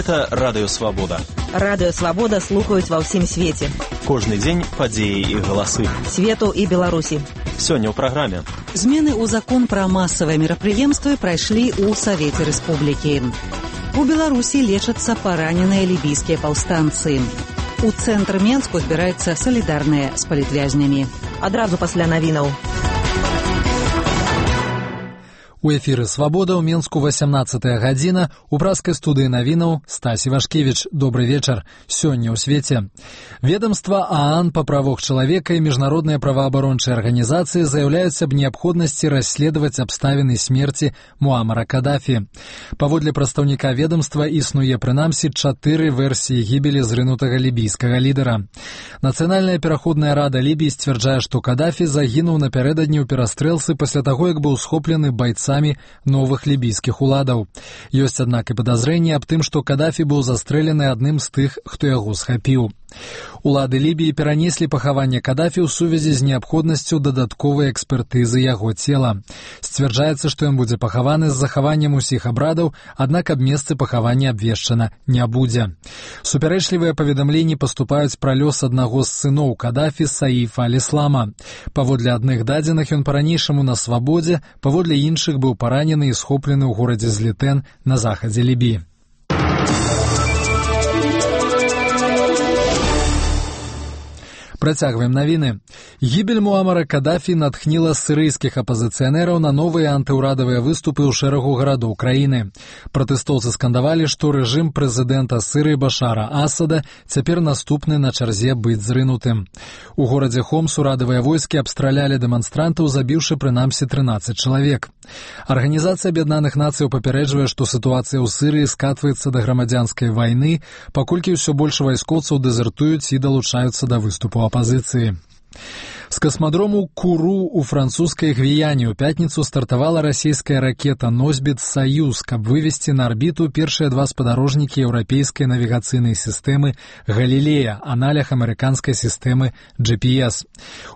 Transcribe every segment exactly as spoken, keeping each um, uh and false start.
Гэта Радыё Свабода. Радыё Свабода слухаюць ва ўсім свеце. Кожны дзень падзеі і галасы. Свету і Беларусі. Сёння ў праграме. Змены ў закон пра масавыя мерапрыемствы прайшлі ў Савеце Рэспублікі. У Беларусі лечацца параненыя лібійскія паўстанцы. У цэнтр Менску збіраюцца салідарныя з палітвязнямі. Адразу пасля навінаў. У эфіры «Свабода» ў Менску васямнаццатая гадзіна. У праскай студыі навінаў Стась Івашкевіч. Добры вечар. Сёння ў свеце. Ведомства ААН па правах чалавека і міжнародныя праваабарончыя арганізацыі заяўляюць аб неабходнасці расследаваць абставіны смерці Муамара Каддафі. Паводле прадстаўніка ведомства існуе прынамсі чатыры версіі гібелі зрынутага лібійскага лідара. Нацыянальная пераходная рада Лібіі сцвярджае, што Каддафі загінуў напярэдадні ў перастрэлцы пасля таго, як быў схоплены байцамі новых лібійскіх уладаў. Ёсць, аднак, і падазрэнне аб тым, што Каддафі быў застрэлены адным з тых, хто яго схапіў. Улады Лібіі перанеслі пахаванне Каддафі ў сувязі з неабходнасцю дадатковай экспертызы яго цела. Сцвярджаецца, што ён будзе пахаваны з захаваннем усіх абрадаў, аднак аб месцы пахавання абвешчана не будзе. Супярэчлівыя паведамленні паступаюць пра лёс аднаго з сыноў Каддафі, Саіфа аль-Іслама. Паводле адных дадзеных, ён па-ранейшаму на свабодзе, паводле іншых быў паранены і схоплены ў горадзе Злітэн на захадзе Лібіі. Працягваем навіны. Гібель Муамара Каддафі натхніла сірыйскіх апазіцыянераў на новыя антыўрадавыя выступы ў шэрагу гарадоў краіны. Пратэстоўцы скандавалі, што рэжым прэзідэнта Сірыі Башара Асада цяпер наступны на чарзе быць зрынутым. У горадзе Хомс урадавыя войскі абстралялі дэманстрантаў, забіўшы прынамсі трынаццаць чалавек. Арганізацыя Аб'яднаных Нацыяў папярэджвае, што сітуацыя ў Сірыі скатваецца да грамадзянскай вайны, паколькі ўсё больш вайскоўцаў дэзертуюць і далучаюцца да выступу апазіцыі. З касмадрому Куру у французскай Гвіяне ў пятніцу стартавала расійская ракета «Носьбіт Саюз», каб вывесці на арбіту першыя два спадарожнікі еўрапейскай навігацыйнай сістэмы «Галілея», аналог амерыканскай сістэмы джи пі эс.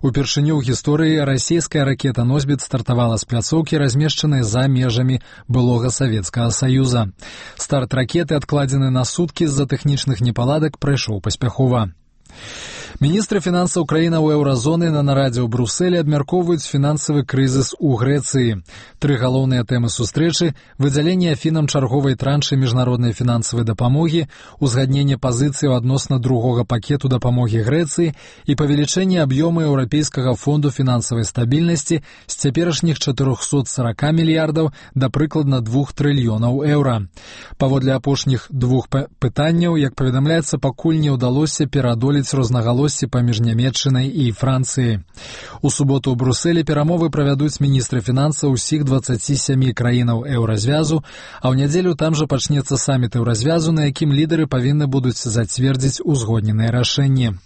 Упершыню ў гісторыі расійская ракета «Носьбіт» стартавала з пляцоўкі, размешчанай за межамі былога Савецкага Саюза. Старт ракеты, адкладзены на суткі з-за тэхнічных непаладак, прайшоў паспяхова. Міністры фінансаў краінаў еўразоны на нарадзе ў Брусэлі абмяркоўваюць фінансавы крызіс у Грэцыі. Тры галоўныя тэмы сустрэчы – выдзяленне Афінам чарговай траншы міжнароднай фінансавай дапамогі, узгадненне пазіцыяў адносна другога пакету дапамогі Грэцыі і павелічэнне аб'ёму Еўрапейскага фонду фінансавай стабільнасці з цяперашніх чатырохсот сорока мільярдаў да прыкладна двух трыльёнаў еўра. Паводле апошніх двух пытанняў, як паведамляецца, пакуль не ўдалося пераадолець рознагалоссі паміж Нямецчынай і Францыяй. У суботу ў Брусэлі перамовы правядуць міністры фінансаў усіх дваццаці сямі краінаў еўразвязу, а ў нядзелю там жа пачнецца саміт еўразвязу, на якім лідары павінны будуць зацвердзіць узгодненыя рашэнні.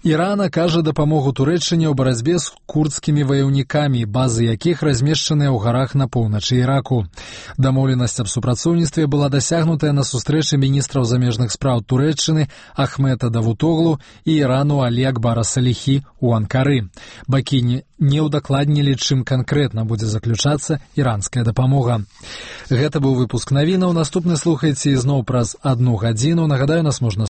Ірана кажа дапамогу Турэччыне ў барацьбе з курдскімі ваяўнікамі, базы якіх размешчаныя ў гарах на поўначы Іраку. Дамоўленасць аб супрацоўніцтве была дасягнутая на сустрэчы міністраў замежных спраў Турэччыны Ахмета Давутоглу і Ірану Алі Акбара Саліхі ў Анкары. Бакі не ўдакладнілі, чым канкрэтна будзе заключацца іранская дапамога. Гэта быў выпуск навінаў. Наступны слухайце ізноў праз адну гадзіну. Нагадаю, нас можна